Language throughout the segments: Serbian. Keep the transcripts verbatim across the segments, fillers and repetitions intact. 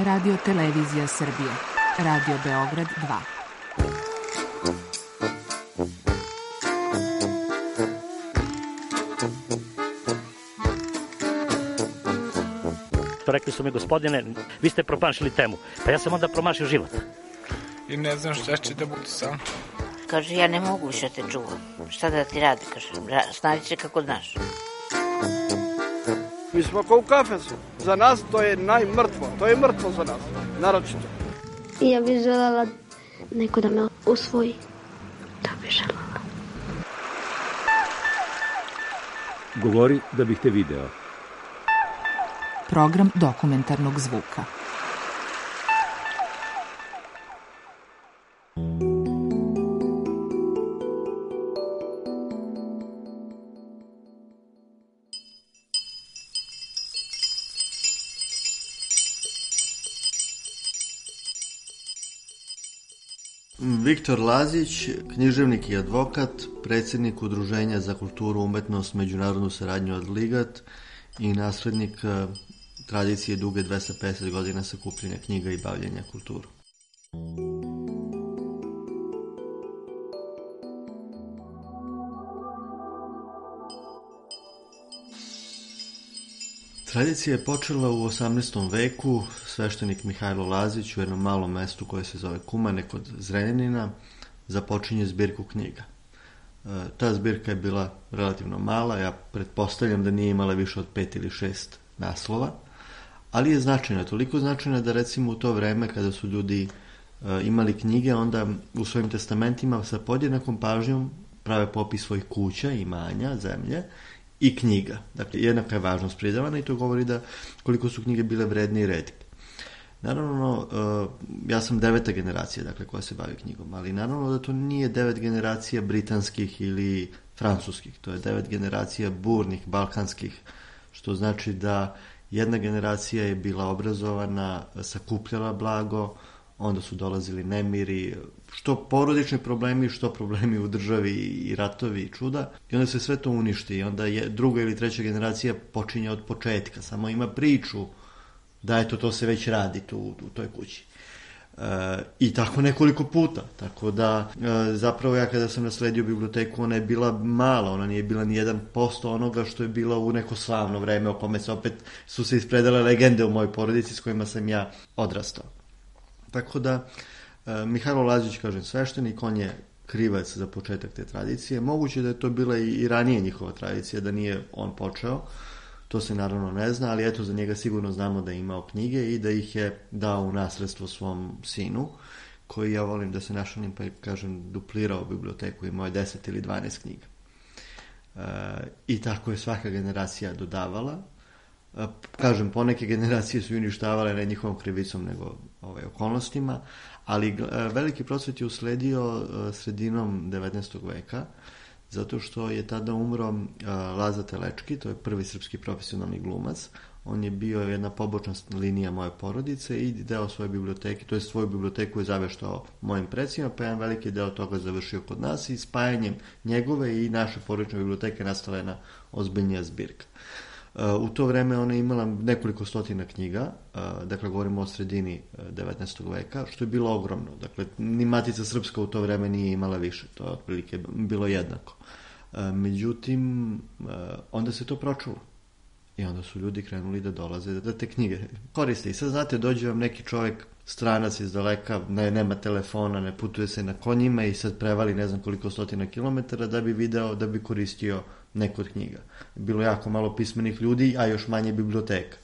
Radio Televizija Srbije, Radio Beograd dva. Rekli su mi, gospodine, vi ste promašili temu. Pa ja sam onda promašio život. I ne znam šta će da bude sam. Kaže, ja ne mogu više te čuvam. Šta da ti radi, kaže, snađi se kako znaš. Mi smo kao u kafesu. Za nas to je najmrtvo. To je mrtvo za nas, naročito. Ja bih želela neko da me usvoji. To bih želela. Govori da bih te video. Program dokumentarnog zvuka. Viktor Lazić, književnik i advokat, predsjednik Udruženja za kulturu, umetnost, međunarodnu saradnju Adligat i naslednik tradicije duge dvesta pedeset godina sakupljenja knjiga i bavljenja kulturom. Tradicija je počela u osamnaestom veku. Sveštenik Mihajlo Lazić u jednom malom mestu koje se zove Kumane kod Zrenjanina započinje zbirku knjiga. Ta zbirka je bila relativno mala, ja pretpostavljam da nije imala više od pet ili šest naslova, ali je značajna, toliko značajna da recimo u to vreme kada su ljudi imali knjige, onda u svojim testamentima sa podjednakom pažnjom prave popis svojih kuća, imanja, zemlje i knjiga. Dakle, jednaka je važnost pridavana i to govori da koliko su knjige bile vredne i retke. Naravno, ja sam deveta generacija, dakle, koja se bavi knjigom, ali naravno da to nije devet generacija britanskih ili francuskih, to je devet generacija burnih, balkanskih, što znači da jedna generacija je bila obrazovana, sakupljala blago, onda su dolazili nemiri, što porodični problemi, što problemi u državi i ratovi i čuda, i onda se sve to uništi i onda je druga ili treća generacija počinje od početka, samo ima priču da eto to se već radi tu u toj kući. E, I tako nekoliko puta, tako da e, zapravo ja kada sam nasledio biblioteku, ona je bila mala, ona nije bila ni jedan posto onoga što je bilo u neko slavno vreme o kome se opet su se ispredale legende u mojoj porodici s kojima sam ja odrastao. Tako da e, Mihajlo Lazić, kažem, sveštenik, on je krivac za početak te tradicije. Moguće da je to bila i, i ranije njihova tradicija, da nije on počeo. To se naravno ne zna, ali eto za njega sigurno znamo da je imao knjige i da ih je dao u nasledstvo svom sinu, koji, ja volim da se našalim pa kažem, duplirao biblioteku, imao je deset ili dvanaest knjiga. E, I tako je svaka generacija dodavala. E, kažem, poneke generacije su uništavale ne njihovom krivicom, nego ovaj, okolnostima, ali e, veliki procvet je usledio e, sredinom devetnaestog veka, zato što je tada umro uh, Laza Telečki, to je prvi srpski profesionalni glumac. On je bio jedna pobočna linija moje porodice i deo svoje biblioteke, to je svoju biblioteku je zaveštao mojim predsima, pa jedan veliki deo toga završio kod nas i spajanjem njegove i naše porodične biblioteke nastala jedna ozbiljnija zbirka. Uh, u to vreme ona je imala nekoliko stotina knjiga, uh, dakle govorimo o sredini devetnaestog veka, što je bilo ogromno. Dakle, ni Matica Srpska u to vreme nije imala više, to je otprilike bilo jednako. Uh, međutim, uh, onda se to pročulo. I onda su ljudi krenuli da dolaze da te knjige koriste. I sad znate, dođe vam neki čovjek, stranac iz daleka, ne, nema telefona, ne putuje se na konjima i sad prevali ne znam koliko stotina kilometara da bi video, da bi koristio neku od knjiga. Bilo jako malo pismenih ljudi, a još manje biblioteka.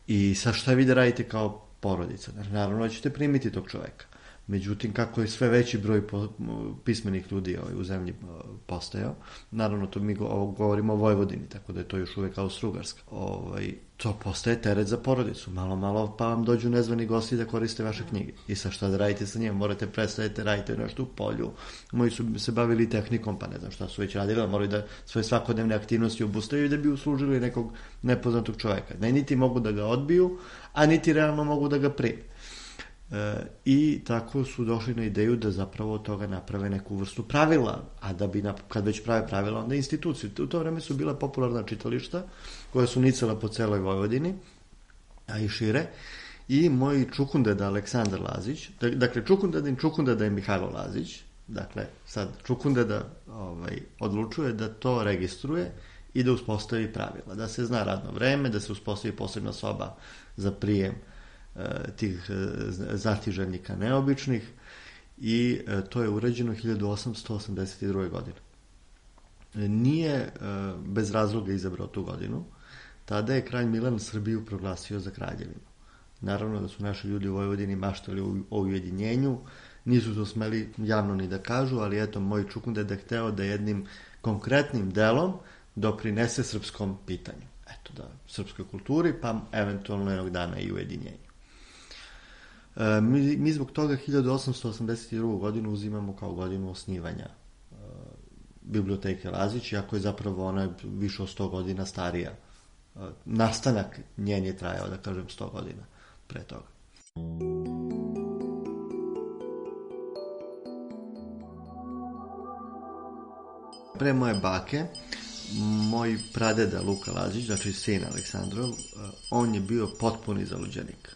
I sad šta vi da radite kao porodica? Naravno ćete primiti tog čovjeka. Međutim, kako je sve veći broj po, pismenih ljudi ovaj, u zemlji postajao, naravno to mi go, govorimo o Vojvodini, tako da je to još uvek Austro-Ugarska, ovaj, to postaje teret za porodicu. Malo, malo pa vam dođu nezvani gosti da koriste vaše knjige. I sad šta da radite sa njima? Morate predstaviti, radite nešto u polju. Moji su se bavili tehnikom, pa ne znam šta su već radili, ali moraju da svoje svakodnevne aktivnosti obustavaju da bi uslužili nekog nepoznatog čovjeka. Ne, niti mogu da ga odbiju, a niti realno mogu da ga prime. E, I tako su došli na ideju da zapravo od toga naprave neku vrstu pravila, a da bi, kad već prave pravila, onda institucije. U to vreme su bila popularna čitališta koja su nicala po celoj Vojvodini, a i šire, i moj čukundeda Aleksandar Lazić, dakle čukundedin čukundeda je Mihajlo Lazić, dakle sad čukundeda ovaj, odlučuje da to registruje i da uspostavi pravila, da se zna radno vreme, da se uspostavi posebna soba za prijem e, tih e, znatiželjnika neobičnih i e, to je urađeno hiljadu osamsto osamdeset druge. godine. E, nije e, bez razloga izabrao tu godinu. Tada je kralj Milan Srbiju proglasio za kraljevinu. Naravno da su naši ljudi u Vojvodini maštali o ujedinjenju, nisu to smeli javno ni da kažu, ali eto, moj čukundeda je hteo da jednim konkretnim delom doprinese srpskom pitanju. Eto da, srpskoj kulturi, pa eventualno jednog dana i ujedinjenju. E, mi, mi zbog toga hiljadu osamsto osamdeset drugu. godinu uzimamo kao godinu osnivanja e, biblioteke Lazić, iako je zapravo ona više od sto godina starija. E, nastanak njen je trajao, da kažem, sto godina pre toga. Pre moje bake, moj pradeda Luka Lazić, znači sin Aleksandrov, on je bio potpuni zaluđenik.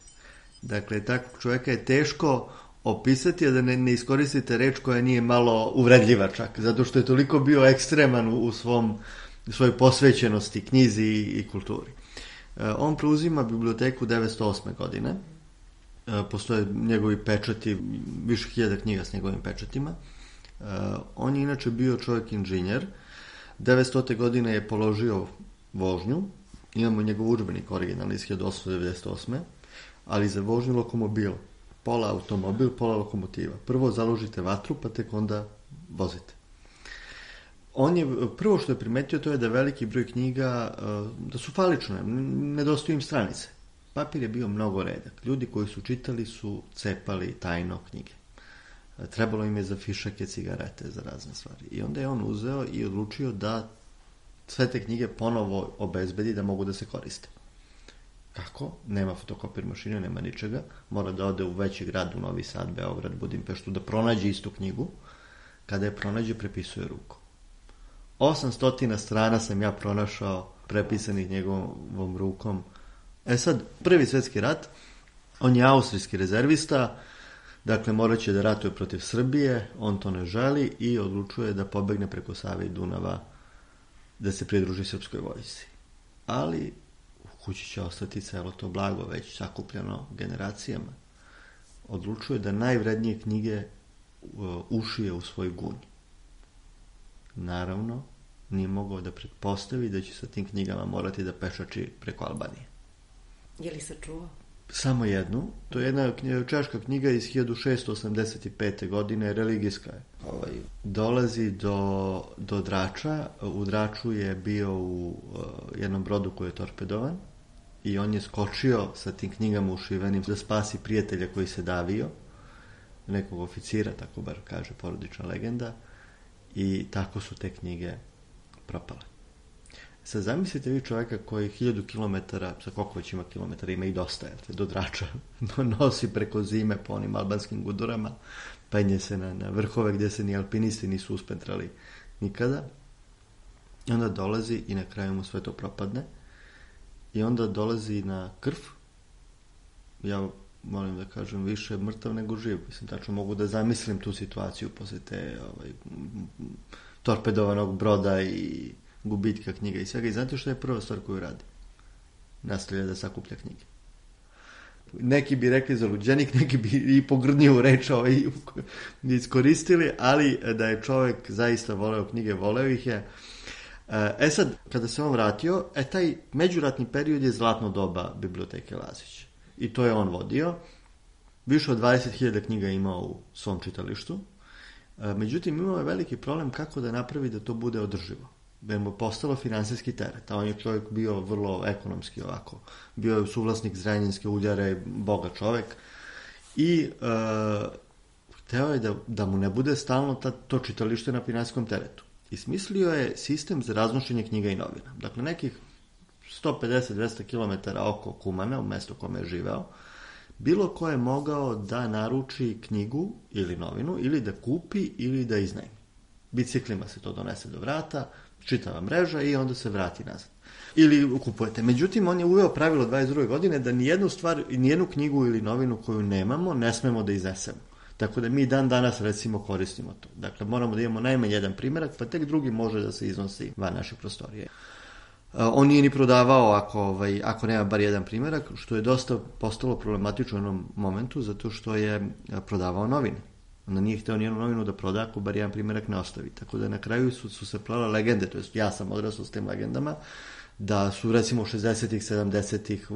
Dakle, takvog čovjeka je teško opisati, a da ne, ne iskoristite reč koja nije malo uvredljiva čak, zato što je toliko bio ekstreman u, u svom, u svojoj posvećenosti knjizi i, i kulturi. On preuzima biblioteku devetsto osme. godine. Postoje njegovi pečati, više hiljada knjiga s njegovim pečatima. On je inače bio čovjek inženjer. devetstote. godine je položio vožnju. Imamo njegov udžbenik originalni iz hiljadu osamsto devedeset osme. Ali za vožnju lokomobil. Pola automobil, pola lokomotiva. Prvo založite vatru, pa tek onda vozite. On je, prvo što je primetio, to je da veliki broj knjiga, da su falične, nedostaju im stranice. Papir je bio mnogo redak. Ljudi koji su čitali su cepali tajno knjige. Trebalo im je za fišake, cigarete, za razne stvari. I onda je on uzeo i odlučio da sve te knjige ponovo obezbedi da mogu da se koriste. Kako? Nema fotokopir mašine, nema ničega. Mora da ode u veći grad, u Novi Sad, Beograd, Budimpeštu, da pronađe istu knjigu. Kada je pronađe, prepisuje rukom. osamsto strana sam ja pronašao prepisanih njegovom rukom. E sad, Prvi svjetski rat, on je austrijski rezervista, dakle morat će da ratuje protiv Srbije, on to ne želi i odlučuje da pobegne preko Save i Dunava da se pridruži srpskoj vojsci. Ali u kući će ostati celo to blago već sakupljeno generacijama. Odlučuje da najvrednije knjige ušije u svoj gunj. Naravno, nije mogao da pretpostavi da će sa tim knjigama morati da pešači preko Albanije. Je li sačuvao? Samo jednu. To je jedna češka knjiga iz hiljadu šessto osamdeset pete. godine, religijska je. Ovaj, dolazi do, do Drača. U Draču je bio u uh, jednom brodu koji je torpedovan i on je skočio sa tim knjigama ušivenim da spasi prijatelja koji se davio, nekog oficira, tako bar kaže porodična legenda, i tako su te knjige propale. Sad zamislite vi čovjeka koji hiljadu kilometara, sa koliko već ima kilometara, ima i dosta, jer do Drača nosi preko zime po onim albanskim gudurama, penje se na, na vrhove gdje se ni alpinisti nisu uspentrali nikada. I onda dolazi i na kraju mu sve to propadne. I onda dolazi na krv. Ja molim da kažem više mrtav nego živ. Mislim, tačno mogu da zamislim tu situaciju poslije te ovaj, torpedovanog broda i gubitka knjiga i svega. I znate što je prva stvar koju radi? Nastavlja da sakuplja knjige. Neki bi rekli zaluđenik, neki bi i pogrdniju reč ovaj, iskoristili, ali da je čovjek zaista voleo knjige, voleo ih je. E sad, kada se on vratio, e taj međuratni period je zlatno doba biblioteke Lazić. I to je on vodio. Više od dvadeset hiljada knjiga imao u svom čitalištu. E, međutim, imao je veliki problem kako da napravi da to bude održivo. Da mu je postalo finansijski teret. A on je čovjek bio vrlo ekonomski ovako. Bio je suvlasnik Zrenjaninske uljare, bogat čovjek. I e, hteo je da, da mu ne bude stalno ta, to čitalište na finansijskom teretu. I smislio je sistem za raznošenje knjiga i novina. Dakle, nekih sto pedeset do dvesta kilometara oko Kumana, u mjestu u kome je živeo, bilo ko je mogao da naruči knjigu ili novinu, ili da kupi, ili da iznajmi. Biciklima se to donese do vrata, čitava mreža i onda se vrati nazad. Ili kupujete. Međutim, on je uveo pravilo dvadeset druge godine da nijednu stvar, nijednu knjigu ili novinu koju nemamo, ne smemo da iznesemo. Tako da mi dan danas recimo koristimo to. Dakle, moramo da imamo najmanje jedan primjerak, pa tek drugi može da se iznosi van naše prostorije. On nije ni prodavao ako, ovaj, ako nema bar jedan primjerak, što je dosta postalo problematično u jednom momentu, zato što je prodavao novine. Onda nije hteo nijednu novinu da proda ako bar jedan primjerak ne ostavi. Tako da na kraju su, su se plale legende, to jest ja sam odrastao s tim legendama, da su recimo šezdesetih, sedamdesetih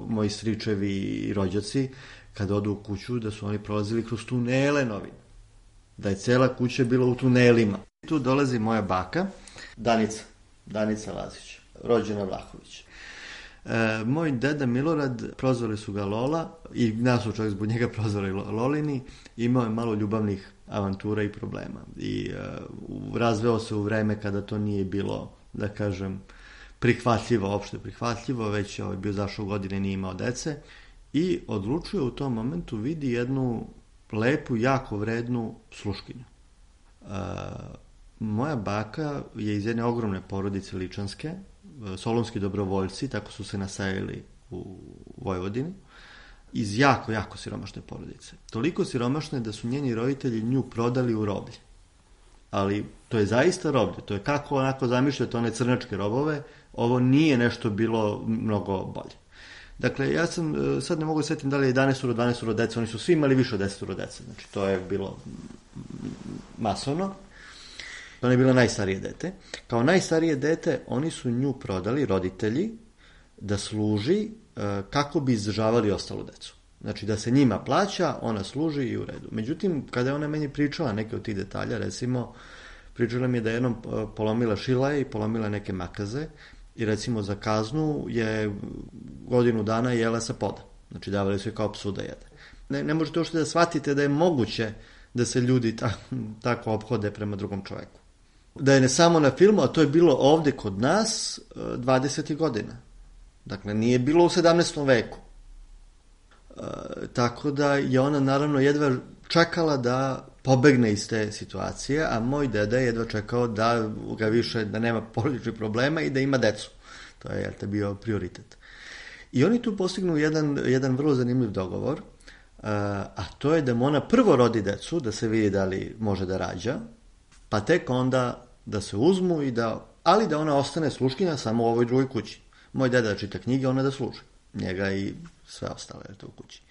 moji stričevi i rođaci, kada odu u kuću, da su oni prolazili kroz tunele novine. Da je cela kuća bila u tunelima. Tu dolazi moja baka, Danica, Danica Lazić, rođena Vlahović. E, moj deda Milorad, prozvali su ga Lola, i nas su čovjek zbog njega prozvali Lolini, imao je malo ljubavnih avantura i problema. I e, razveo se u vreme kada to nije bilo, da kažem, prihvatljivo, opšte prihvatljivo, već je ovaj bio zašao godine, nije imao dece, i odlučuje u tom momentu, vidi jednu lepu, jako vrednu sluškinju. E, moja baka je iz jedne ogromne porodice ličanske, solunski dobrovoljci, tako su se nasajali u Vojvodini, iz jako, jako siromašne porodice. Toliko siromašne da su njeni roditelji nju prodali u roblje. Ali to je zaista roblje, to je kako onako zamišljate one crnačke robove, ovo nije nešto bilo mnogo bolje. Dakle, ja sam, sad ne mogu da setim da li je jedanaest, dvanaest dece, oni su svi imali više od deset dece, znači to je bilo masovno. Ona je bila najstarije dete. Kao najstarije dete oni su nju prodali, roditelji, da služi kako bi izdržavali ostalu decu. Znači da se njima plaća, ona služi i u redu. Međutim, kada je ona meni pričala neke od tih detalja, recimo, pričala mi je da je jednom polomila šilaje i polomila neke makaze i recimo za kaznu je godinu dana jela sa poda. Znači davali su je kao psu da jede. Ne, ne možete uopšte da shvatite da je moguće da se ljudi ta, tako ophode prema drugom čoveku. Da je ne samo na filmu, a to je bilo ovde kod nas dvadesetih godina. Dakle, nije bilo u sedamnaestom veku. E, tako da je ona naravno jedva čekala da pobegne iz te situacije, a moj deda je jedva čekao da ga više, da nema porodičnih problema i da ima decu. To je jel, bio prioritet. I oni tu postignu jedan, jedan vrlo zanimljiv dogovor, a to je da mu ona prvo rodi decu, da se vidi da li može da rađa, pa tek onda da se uzmu i da, ali da ona ostane sluškinja samo u ovoj drugoj kući. Moj deda da čita knjige, ona da služi. Njega i sve ostale je to u kući.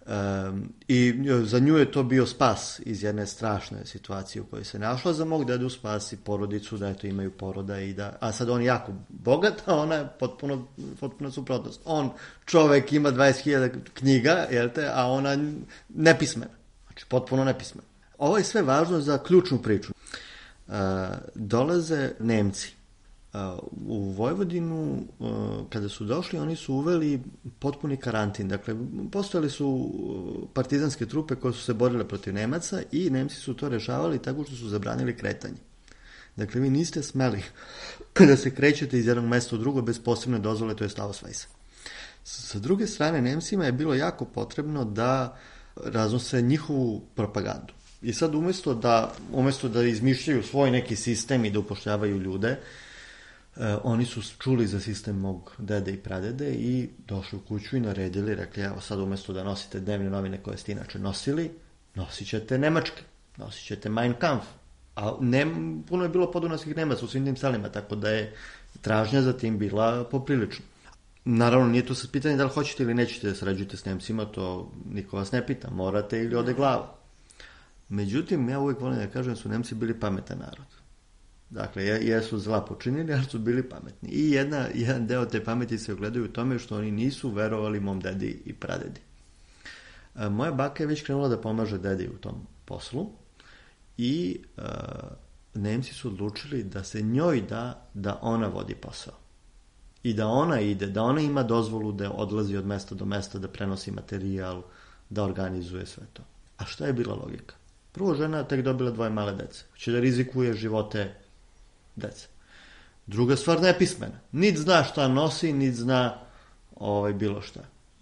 Um, I za nju je to bio spas iz jedne strašne situacije u kojoj se našla. Za mog dedu spasi porodicu, da eto imaju poroda i da, a sad on je jako bogat, a ona je potpuno, potpuno suprotnost. On, čovek, ima dvadeset hiljada knjiga, jel te, a ona nepismena. Znači, potpuno nepismena. Ovo je sve važno za ključnu priču. Uh, dolaze Nemci. Uh, u Vojvodinu, uh, kada su došli, oni su uveli potpuni karantin. Dakle, postojali su partizanske trupe koje su se borile protiv Nemaca i Nemci su to rešavali tako što su zabranili kretanje. Dakle, vi niste smeli da se krećete iz jednog mesta u drugo bez posebne dozvole, to je Ausweisa. Sa druge strane, Nemcima je bilo jako potrebno da raznose njihovu propagandu. I sad umjesto da, umjesto da izmišljaju svoj neki sistem i da upošljavaju ljude, eh, oni su čuli za sistem mog dede i pradede i došli u kuću i naredili, rekli, evo sad umjesto da nosite dnevne novine koje ste inače nosili, nosit ćete nemačke, nosit ćete Mein Kampf. A ne, puno je bilo podunavskih Nemaca u svim tim selima, tako da je tražnja za tim bila poprilična. Naravno, nije to sad pitanje da li hoćete ili nećete da sarađujete s Nemcima, to niko vas ne pita, morate ili ode glava. Međutim, ja uvijek volim da kažem da su Nemci bili pametan narod. Dakle, jesu zla počinili, ali su bili pametni. I jedna, jedan deo te pameti se ogledaju u tome što oni nisu verovali mom dedi i pradedi. A, moja baka je već krenula da pomaže dedi u tom poslu i a, Nemci su odlučili da se njoj da da ona vodi posao. I da ona ide, da ona ima dozvolu da odlazi od mesta do mesta, da prenosi materijal, da organizuje sve to. A šta je bila logika? Prvo, žena tek dobila dvoje male dece. Hoće da rizikuje živote dece. Druga stvar, nepismena. Nit zna šta nosi, nit zna ovaj, bilo šta.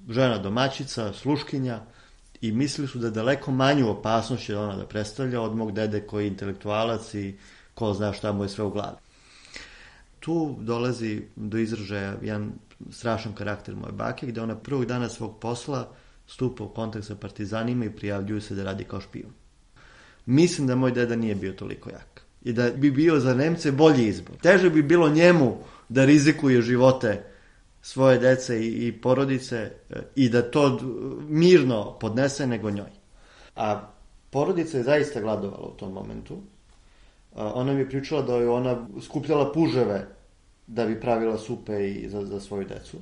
Žena domaćica, sluškinja i mislili su da daleko manju opasnost će ona da predstavlja od mog dede koji je intelektualac i ko zna šta mu je sve u glavi. Tu dolazi do izražaja jedan strašan karakter moje bake, gde ona prvog dana svog posla stupa u kontakt sa partizanima i prijavljuju se da radi kao špijun. Mislim da moj deda nije bio toliko jak. I da bi bio za Nemce bolji izbor. Teže bi bilo njemu da rizikuje živote svoje dece i, i porodice i da to mirno podnese nego njoj. A porodica je zaista gladovala u tom momentu. Ona mi je pričala da je ona skupljala puževe da bi pravila supe i za, za svoju decu.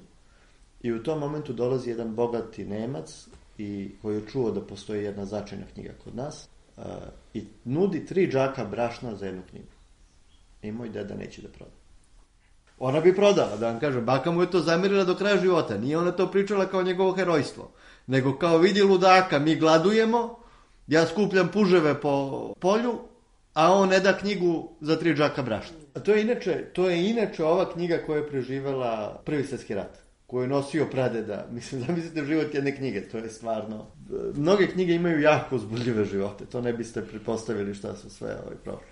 I u tom momentu dolazi jedan bogati Nemac i koji je čuo da postoji jedna značajna knjiga kod nas uh, i nudi tri džaka brašna za jednu knjigu. I moj deda neće da proda. Ona bi prodala, da vam kažem, baka mu je to zamirila do kraja života. Nije ona to pričala kao njegovo herojstvo, nego kao vidi ludaka, mi gladujemo, ja skupljam puževe po polju, a on ne da knjigu za tri džaka brašna. A to je inače, to je inače ova knjiga koja je preživela Prvi svjetski rat, koju je nosio pradeda. Mislim, zamislite život jedne knjige, to je stvarno... Mnoge knjige imaju jako uzbudljive živote, to ne biste pretpostavili šta su sve ovaj, prošli.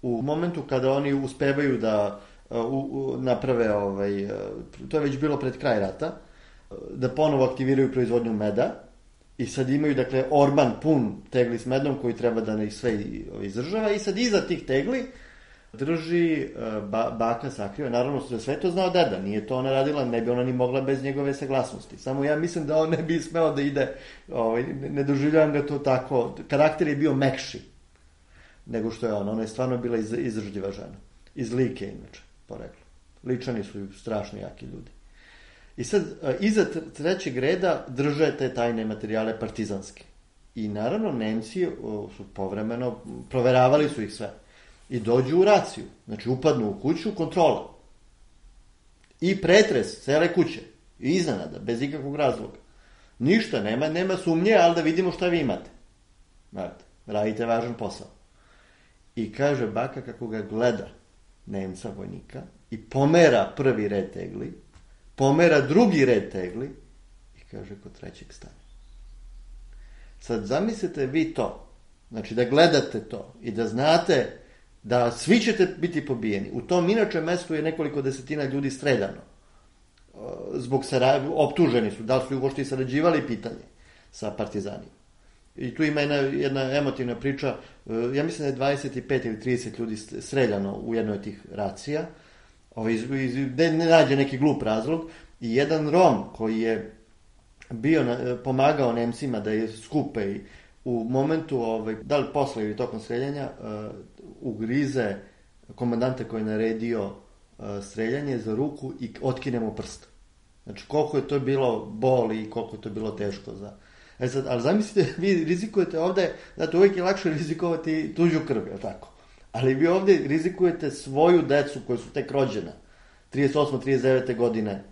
U momentu kada oni uspevaju da uh, u, naprave, ovaj, uh, to je već bilo pred kraj rata, uh, da ponovo aktiviraju proizvodnju meda, i sad imaju, dakle, orman pun tegli s medom koji treba da ih sve izdržava i sad iza tih tegli drži ba, baka sakriva. Naravno, da sve to znao deda, nije to ona radila, ne bi ona ni mogla bez njegove saglasnosti. Samo ja mislim da on ne bi smeo da ide, ovaj, ne doživljavam ga to tako, karakter je bio mekši nego što je ona. Ona je stvarno bila iz, izdržljiva žena. Iz Like, inače, poreklo. Ličani su strašno jaki ljudi. I sad, iza trećeg reda drže te tajne materijale partizanske. I naravno, Nemci su povremeno, proveravali su ih sve. I dođu u raciju. Znači, upadnu u kuću, kontrola. I pretres cele kuće. I iznenada, bez ikakvog razloga. Ništa, nema, nema sumnje, ali da vidimo šta vi imate. Znate, radite važan posao. I kaže baka kako ga gleda Nemca vojnika i pomera prvi red tegli, pomera drugi red tegli i kaže kod trećeg stane. Sad zamislite vi to, znači da gledate to i da znate da svi ćete biti pobijeni. U tom inače mestu je nekoliko desetina ljudi streljano. Zbog sara... optuženi su, da li su uopšte i sarađivali, pitanje sa partizanima. I tu ima jedna, jedna emotivna priča, ja mislim da je dvadeset pet ili trideset ljudi streljano u jednoj od tih racija, ovaj, ne, ne nađe neki glup razlog, i jedan Rom koji je bio na, pomagao Nemcima da je skupe i u momentu, ovaj, da li posle ili tokom streljanja, uh, ugrize komandanta koji je naredio uh, streljanje za ruku i otkine mu prst. Znači koliko je to bilo boli i koliko je to bilo teško za... E sad, ali zamislite, vi rizikujete ovde, znate, uvijek je lakše rizikovati tuđu krv, je tako? Ali vi ovde rizikujete svoju decu koja su tek rođena, trideset osme trideset devete godine,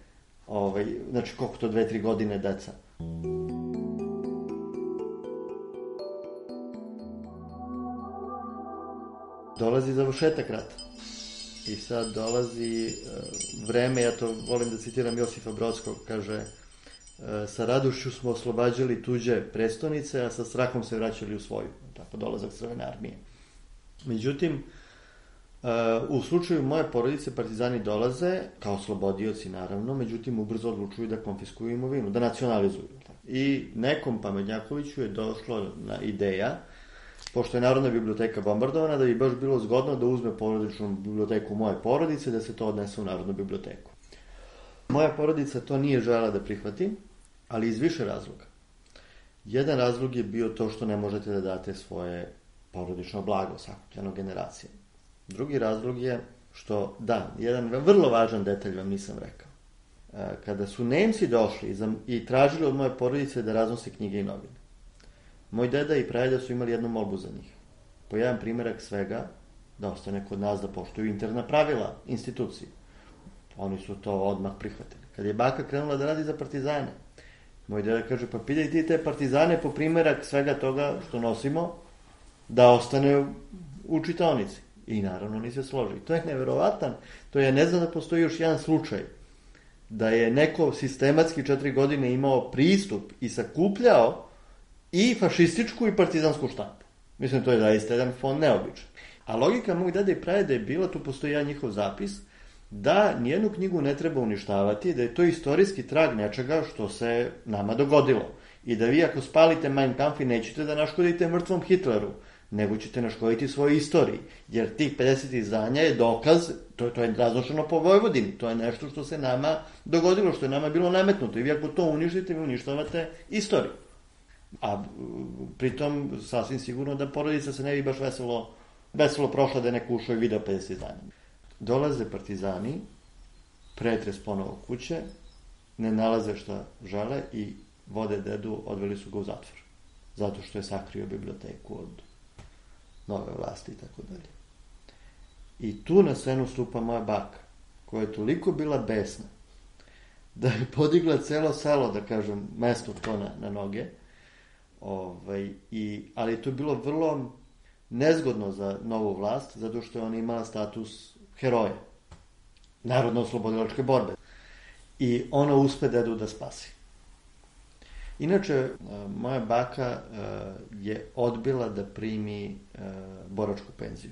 ovaj, znači koliko to dve tri godine deca. Dolazi završetak rata. I sad dolazi uh, vreme, ja to volim da citiram Josifa Brodskog, kaže: sa radošću smo oslobađali tuđe prestonice, a sa strahom se vraćali u svoju. Tako, dolazak Crvene armije. Međutim, u slučaju moje porodice partizani dolaze, kao slobodioci naravno, međutim ubrzo odlučuju da konfiskuju imovinu, da nacionalizuju. I nekom pametnjakoviću je došlo na ideja, pošto je Narodna biblioteka bombardovana, da bi baš bilo zgodno da uzme porodičnu biblioteku moje porodice, da se to odnese u Narodnu biblioteku. Moja porodica to nije želela da prihvati, ali iz više razloga. Jedan razlog je bio to što ne možete da date svoje porodično blago sakupljeno generacije. Drugi razlog je što, da, jedan vrlo važan detalj vam nisam rekao. Kada su Nemci došli i tražili od moje porodice da raznose knjige i novine, moj deda i pradeda su imali jednu molbu za njih. Po jedan primjerak svega, da ostane kod nas, da poštuju interna pravila institucije. Oni su to odmah prihvatili. Kad je baka krenula da radi za partizane, moj deda kaže: pa pitaj ti te partizane po primjerak svega toga što nosimo, da ostane u čitaonici. I naravno oni se složi. To je neverovatan. To je, ne znam da postoji još jedan slučaj da je neko sistematski četiri godine imao pristup i sakupljao i fašističku i partizansku štampu. Mislim, to je zaista jedan fond neobičan. A logika mog deda i pradeda je bila, tu postoji jedan njihov zapis, da nijednu knjigu ne treba uništavati, da je to istorijski trag nečega što se nama dogodilo. I da vi ako spalite Mein Kampf nećete da naškodite mrtvom Hitleru, nego ćete naškoditi svojoj istoriji. Jer tih pedeset izdanja je dokaz, to, to je raznošeno po Vojvodini, to je nešto što se nama dogodilo, što je nama bilo nametnuto. I vi ako to uništite, vi uništavate istoriju. A pritom sasvim sigurno da porodica se ne bi baš veselo, veselo prošla da je neko ušao i video pedeset izdanja. Dolaze partizani, pretres ponovo kuće, ne nalaze šta žele i vode dedu, odveli su ga u zatvor. Zato što je sakrio biblioteku od nove vlasti i tako dalje. I tu na scenu stupa moja baka, koja je toliko bila besna, da je podigla celo selo, da kažem, mesto to na, na noge. Ovaj, i, ali je to bilo vrlo nezgodno za novu vlast, zato što je ona imala status heroja, narodno-oslobodilačke borbe. I ona uspe dedu da spasi. Inače, moja baka je odbila da primi boračku penziju.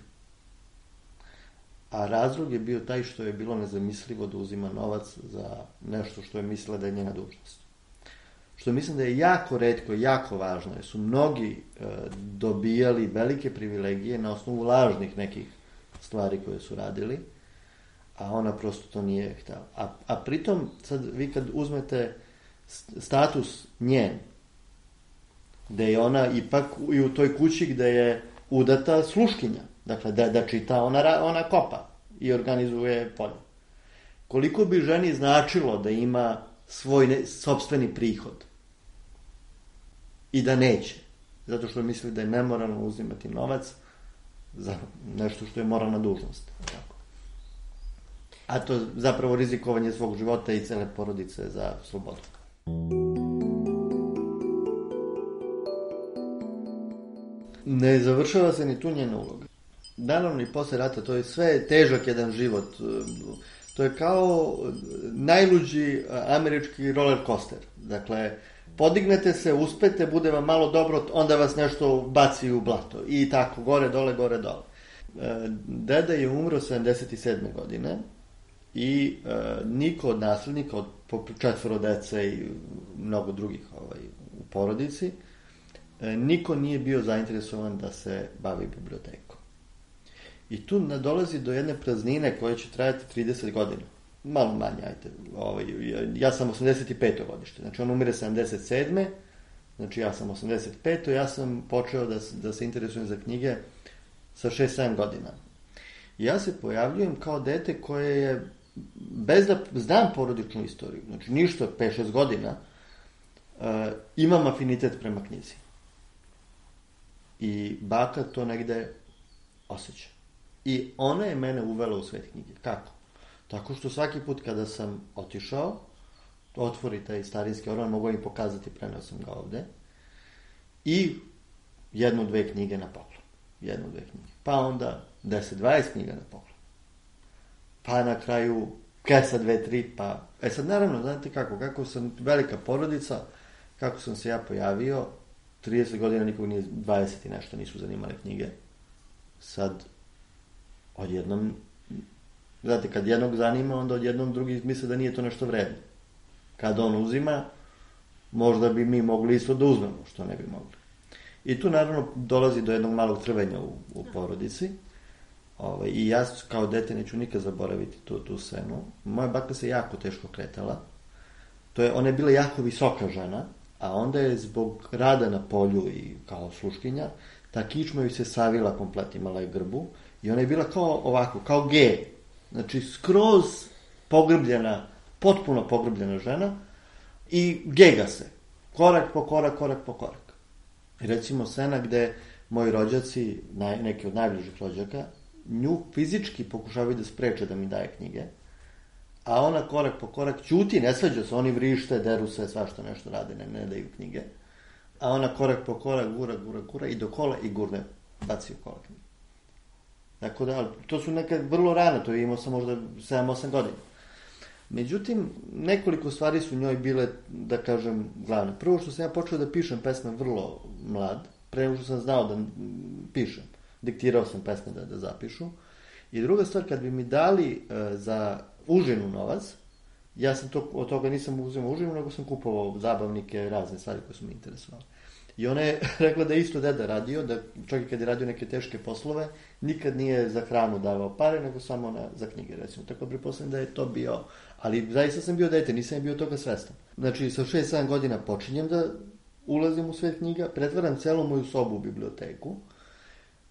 A razlog je bio taj što je bilo nezamislivo da uzima novac za nešto što je mislila da je njena dužnost. Što mislim da je jako retko, jako važno, jer su mnogi dobijali velike privilegije na osnovu lažnih nekih stvari koje su radili, a ona prosto to nije htjela. A, a pritom, sad vi kad uzmete status njen, gde je ona ipak i u toj kući gde je udata sluškinja, dakle da, da čita, ona, ona kopa i organizuje polje. Koliko bi ženi značilo da ima svoj ne, sopstveni prihod i da neće, zato što misli da je nemoralno uzimati novac za nešto što je moralna dužnost. Tako. A to zapravo rizikovanje svog života i cele porodice za slobodu. Ne završava se ni tu njena uloga. Naravno i posle rata, to je sve težak jedan život. To je kao najluđi američki roller coaster. Dakle, podignete se, uspete, bude vam malo dobro, onda vas nešto baci u blato. I tako, gore, dole, gore, dole. Deda je umro sedamdeset sedme godine i e, niko od naslednika, od četvoro dece i mnogo drugih ovaj, u porodici, e, niko nije bio zainteresovan da se bavi bibliotekom. I tu dolazi do jedne praznine koja će trajati trideset godina. Malo manje, ajte. Ovaj, ja sam osamdeset peto godište, znači on umire sedamdeset sedme Znači ja sam osamdeset peto Ja sam počeo da, da se interesujem za knjige sa šest sedam godina. I ja se pojavljujem kao dete koje je, bez da znam porodičnu istoriju, znači ništa, pet šest godina, uh, imam afinitet prema knjizi. I baka to negde osjeća. I ona je mene uvela u svet knjige. Kako? Tako što svaki put kada sam otišao, otvori taj starinski orman, mogu im pokazati, preneo sam ga ovde, i jednu, dve knjige na poklon. Jednu, dve knjige. Pa onda deset dvadeset knjiga na poklon. Pa na kraju kesa dve, tri, pa... E sad, naravno, znate kako, kako sam velika porodica, kako sam se ja pojavio, trideset godina nikog nije, dvadeset i nešto nisu zanimale knjige. Sad, odjednom, znate, kad jednog zanima, onda odjednom drugi misle da nije to nešto vredno. Kad on uzima, možda bi mi mogli isto da uzmemo, što ne bi mogli. I tu naravno dolazi do jednog malog trvenja u, u porodici. Ove, I ja kao dete neću nikad zaboraviti tu, tu scenu. Moja baka se jako teško kretala. To je, ona je bila jako visoka žena, a onda je zbog rada na polju i kao sluškinja, ta kičma joj se savila komplet, imala je grbu, i ona je bila kao ovako, kao G. Znači skroz pogrbljena, potpuno pogrbljena žena, i gega se. Korak po korak, korak po korak. Recimo scena gde moji rođaci, naj, neki od najbližih rođaka, nju fizički pokušavaju da spreče da mi daje knjige, a ona korak po korak ćuti, ne svađa se, oni vrište, deru se, svašta nešto rade, ne, ne daju knjige, a ona korak po korak, gura, gura, gura, i do kola i gurne, baci u kola knjige. Tako da, to su neka vrlo rano, to je imao sam možda sedam osam godina. Međutim, nekoliko stvari su njoj bile, da kažem, glavne. Prvo što sam ja počeo da pišem pesme vrlo mlad, pre nego što sam znao da pišem. Diktirao sam pesme da, da zapišu. I druga stvar, kad bi mi dali uh, za užinu novac, ja sam to, od toga nisam uzimao užinu, nego sam kupovao zabavnike, razne stvari koje su mi interesovali. I ona je rekla da je isto deda radio, da čak i kad je radio neke teške poslove, nikad nije za hranu davao pare, nego samo na, za knjige, recimo. Tako pretpostavljam da je to bio, ali zaista sam bio dete, nisam bio toga svestan. Znači, sa šest sedam godina počinjem da ulazim u svet knjiga, pretvaram celu moju sobu u biblioteku,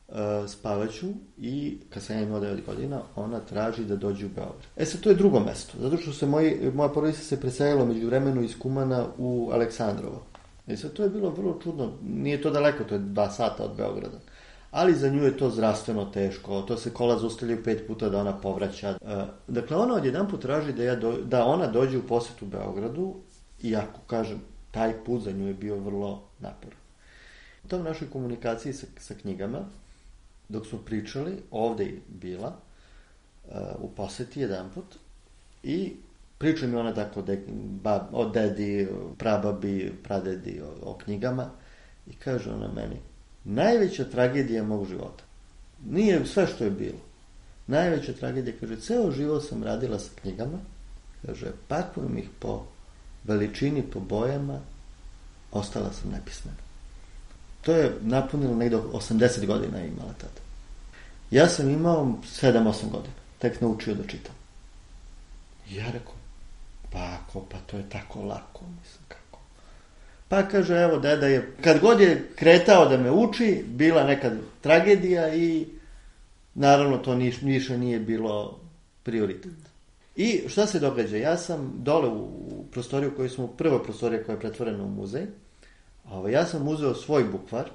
uh, spavaću i kad sam ja imao devet godina, ona traži da dođe u Beograd. E sad, to je drugo mesto, zato što se moji, moja porodica se preselila među vremenu iz Kumana u Aleksandrovo. I sad to je bilo vrlo čudno, nije to daleko, to je dva sata od Beograda, ali za nju je to zdravstveno teško, to se kola zaustavljaju pet puta da ona povraća. Dakle, ona odjedanput traži da, ja do, da ona dođe u posetu Beogradu, iako, kažem, taj put za nju je bio vrlo naporan. U tom našoj komunikaciji sa, sa knjigama, dok smo pričali, ovde je bila, u poseti jedanput, i priča mi ona tako de, ba, o dedi, prababi, pradedi, o, o knjigama, i kaže ona meni, najveća tragedija mog života, nije sve što je bilo, najveća tragedija, kaže, ceo život sam radila sa knjigama, kaže, pakujem ih po veličini, po bojama, ostala sam nepismena. To je napunilo negde osamdeset godina je imala tada. Ja sam imao sedam osam godina, tek naučio da čitam. I ja rekao, pa ako, pa to je tako lako, mislim, kako. Pa kaže, evo, deda je, kad god je kretao da me uči, bila neka tragedija i naravno to niš, više nije bilo prioritet. I šta se događa? Ja sam dole u, u prostoriju koju smo, prva prostorija koja je pretvorena u muzej, ovo, ja sam uzeo svoj bukvar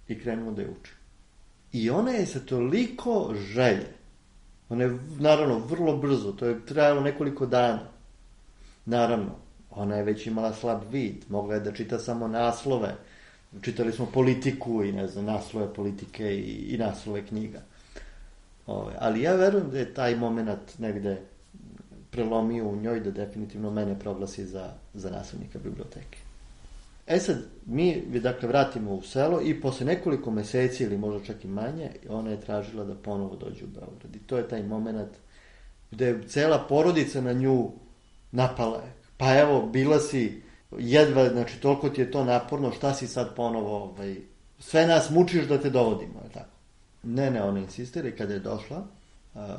i krenuo da je učim. I ona je sa toliko želje, ona je, naravno, vrlo brzo, to je trajalo nekoliko dana. Naravno, ona je već imala slab vid, mogla je da čita samo naslove. Čitali smo Politiku i, ne znam, naslove politike i, i naslove knjiga. Ove, ali ja verujem da je taj moment negde prelomio u njoj da definitivno mene proglasi za, za naslednika biblioteke. E sad, mi, dakle, vratimo u selo i posle nekoliko meseci ili možda čak i manje, ona je tražila da ponovo dođe u Beograd. I to je taj moment gde je cela porodica na nju napala je. Pa evo, bila si jedva, znači toliko ti je to naporno, šta si sad ponovo, ovaj, sve nas mučiš da te dovodimo, je tako? Ne, ne, ona insistira i kada je došla, a,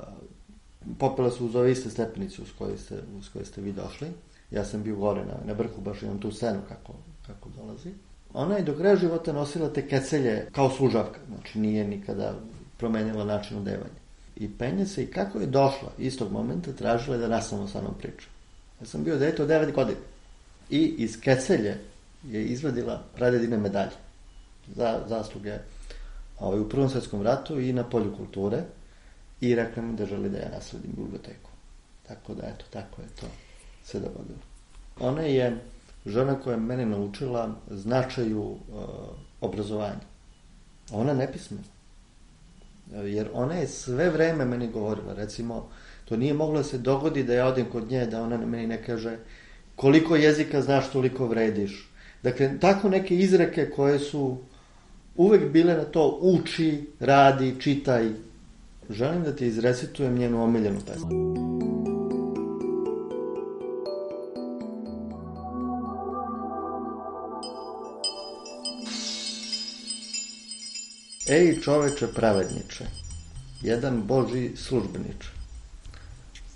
popela su uz ove iste stepenice uz koje ste, uz koje ste vi došli. Ja sam bio gore na, na vrhu, baš imam tu scenu kako, kako dolazi. Ona je do kraja života nosila te kecelje kao služavka, znači nije nikada promenila način odevanja. I penje se i kako je došla istog momenta, tražila je da nastavno sa mnom priča. Ja sam bio dete od devet godina. I iz kecelje je izvadila pradedine medalje za zasluge ovaj, u Prvom svetskom ratu i na polju kulture i rekla mi da želi da ja nasledim biblioteku. Tako da, eto, tako je to se dogodilo. Ona je žena koja je mene naučila značaju uh, obrazovanja. Ona nepismena. Jer ona je sve vreme meni govorila, recimo, to nije moglo da se dogodi da ja odem kod nje, da ona meni ne kaže koliko jezika znaš, toliko vrediš. Dakle, tako neke izreke koje su uvek bile na to uči, radi, čitaj. Želim da ti izrecitujem njenu omiljenu pesmu. Ej, čoveče pravedniče, jedan Božji službeniče,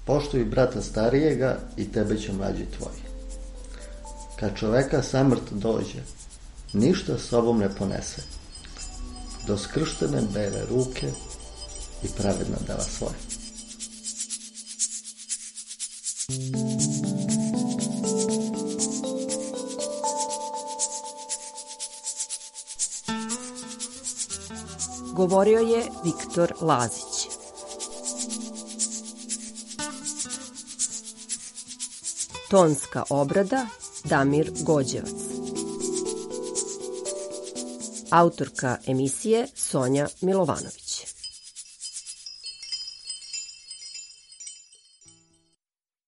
poštuj brata starijega i tebe će mlađi tvoji. Kad čoveka samrt dođe, ništa sobom ne ponese, do skrštene bele ruke i pravedna dela svoje. Govorio je Viktor Lazić. Tonska obrada Damir Gođevac. Autorka emisije Sonja Milovanović.